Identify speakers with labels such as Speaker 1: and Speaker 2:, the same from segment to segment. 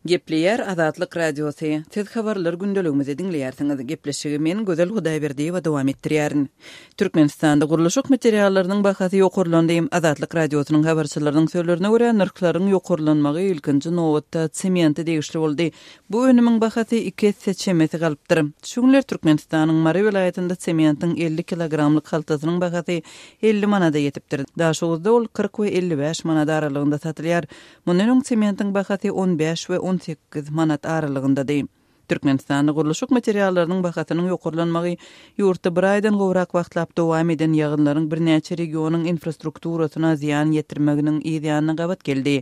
Speaker 1: Gepleýär Azatlyk Radiosy, Siz habarlar gündeligimizi diňleýärsiňiz. Gepleşigi men, Gözel Hudaýberdiýewa dowam etdirýärin. Türkmenistanda gurluşyk materiallarynyň bahasy ýokarlandy. Azatlyk Radiosynyň habarçylarynyň sözlerine görä, nyrhlaryň ýokarlanmagy ilkinji nobatda semente degişli boldy. Bu önümiň bahasy iki esse çemesi galypdyr. Şu günler Türkmenistanyň Mary welaýatynda sementiň 50 kilogramlyk haltasynyň bahasy 50 manada ýetipdir. Daşoguzda ol 40 we 55 manat aralygynda satylýar. Mundan öň sementiň bahasy on bäş we 18 manat aralygyndady. Türkmenistanda gurluşyk materiallarynyň bahasynyň ýokarlanmagy ýurtda bir aýdan gowrak wagtlap dowam eden ýagynlaryň birnäçe regionyň infrastrukturasyna zyýan ýetirmeginiň yz ýanyna gabat geldi.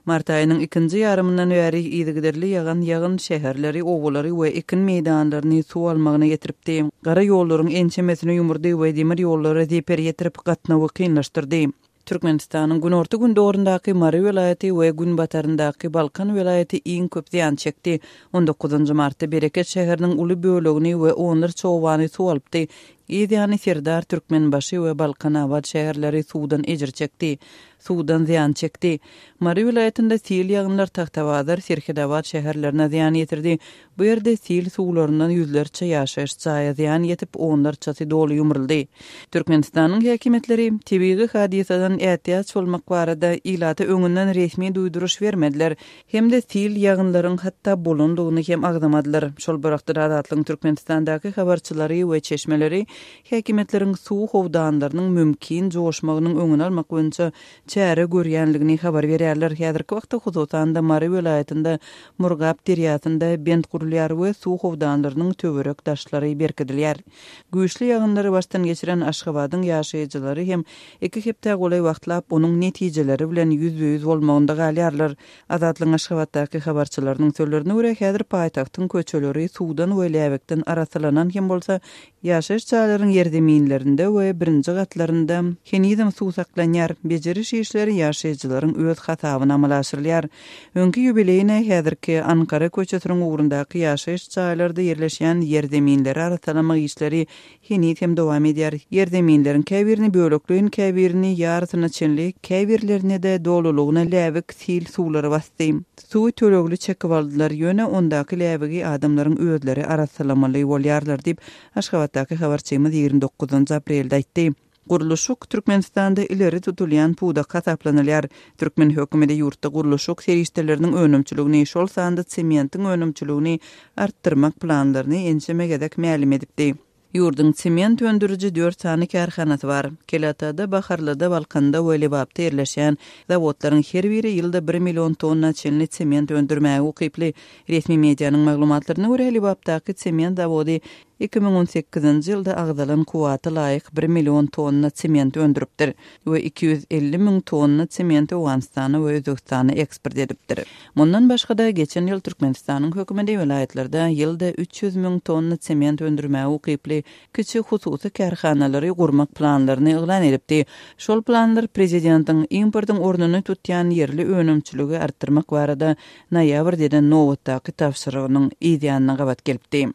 Speaker 1: Mart aýynyň ikinji ýarymyndan bäri yzygiderli ýagan ýagyn şäherleri, obalary we ekin meýdanlaryny suw almagyna getiripdi. Gara ýollaryň ençemesini ýumurdy we demir ýollara zeper ýetirip, gatnawy kynlaşdyrdy. Türkmenistanyň günorta-gündogaryndaky Mary welaýaty we günbataryndaky Balkan welaýaty iň köp zyýan çekdi. On dokuzynjy martda Bereket şäheriniň uly bölegini we onlarça obany suw alypdy. Yz ýany Serdar, Türkmenbaşy we Balkanabat şäherleri suwdan ejir çekdi. Suwdan zyýan çekdi. Mary welaýatynda sil ýagynlar Tagtabazar, Serhedabat şäherlerine zyýan ýetirdi. Bu ýerde sil suwlaryndan ýüzlerçe ýaşaýyş jaýa zyýan ýetip, onlarçasy doly ýumruldy. Türkmenistanyň häkimiýetleri tebigy hadysadan ätiýaç bolmak barada ilata öňünden resmi duýduryş bermediler hem-de sil ýagynlaryň hatda bolandygyny hem agzamadylar. Şol bir wagtda-da Azatlygyň Türkmenistandaky habarçylary we çeşmeleri häkimiýetleriň suw howdanlarynyň mümkin joşmagynyň öňüni almak boýunça çäre görýänligini habar berýärler. Häzirki wagtda, hususan-da, Mary welaýatynda Murgap derýasynda bent gurulýar we suw howdanlarynyň töwerek daşlary berkidilýär. Güýçli ýagynlary başdan geçiren Aşgabadyň ýaşaýjylary hem iki hepdä golaý wagtlap onuň netijeleri bilen ýüzbe-ýüz bolmagynda galýarlar. Azatlygyň Aşgabatdaky habarçylarynyň sözlerine görä, häzir paýtagtyň köçeleri suwdan we läbikden arassalanan hem bolsa, Ýaşaýyş jaýlaryň ýerzeminlerinde we birinji gatlarynda henizem suw saklanýar. Bejeriş işleri ýaşaýjylaryň öz hasabyna amala aşyrylýar. Öňki Ýubileýna, häzirki Ankara köçesiniň ugrundaky ýaşaýyş jaýlarda ýerleşýän ýerzeminleri arassalamak işleri heniz hem dowam edýär. Ýerzeminleriň käbirini bölekleýin, käbirini ýarysyna çenli, käbirlerine-de dolulygyna läbik sil suwlary basdy. Suwy tölegli çekip aldylar, ýöne ondaky läbigi adamlaryň özleri arassalamaly bolýarlar diýip, Aşgabatdaky habarçymyz 29 aprelde aýtdy. Gurluşyk Türkmenistanda ileri tutulýan pudak hasaplanylýar. Türkmen hökümeti ýurtda gurluşyk serişdeleriniň önümçiligini, şol sanda sementiň önümçiligini artdyrmak planlaryny ençeme gezek mälim edipdi. Ýurduň sement öndüriji dört sany kärhanasy bar. Kelatada, Baharlyda, Balkanda we Lebapda ýerleşýän zawodlaryň her biri ýylda bir million tonna çenli sement öndürmäge ukyply. Resmi medianyň maglumatlaryna görä, Lebapdaky sement zawody 2018-nji ýylda agzalan kuwwata laýyk bir million tonna sement öndüripdir we 250 müň tonna sementi Owganystana we Özbegistana eksport edipdir. Mundan başga-da, geçen ýyl Türkmenistanyň hökümeti welaýatlarda ýylda 300 müň tonna sement öndürmäge ukyply kiçi hususy kärhanalary gurmak planlaryny yglan edipdi. Şol planlar prezidentiň importyň ornuny tutýan ýerli önümçiligi artdyrmak barada noýabrda eden nobatdaky tabşyrygynyň yz ýanyna gabat gelipdi.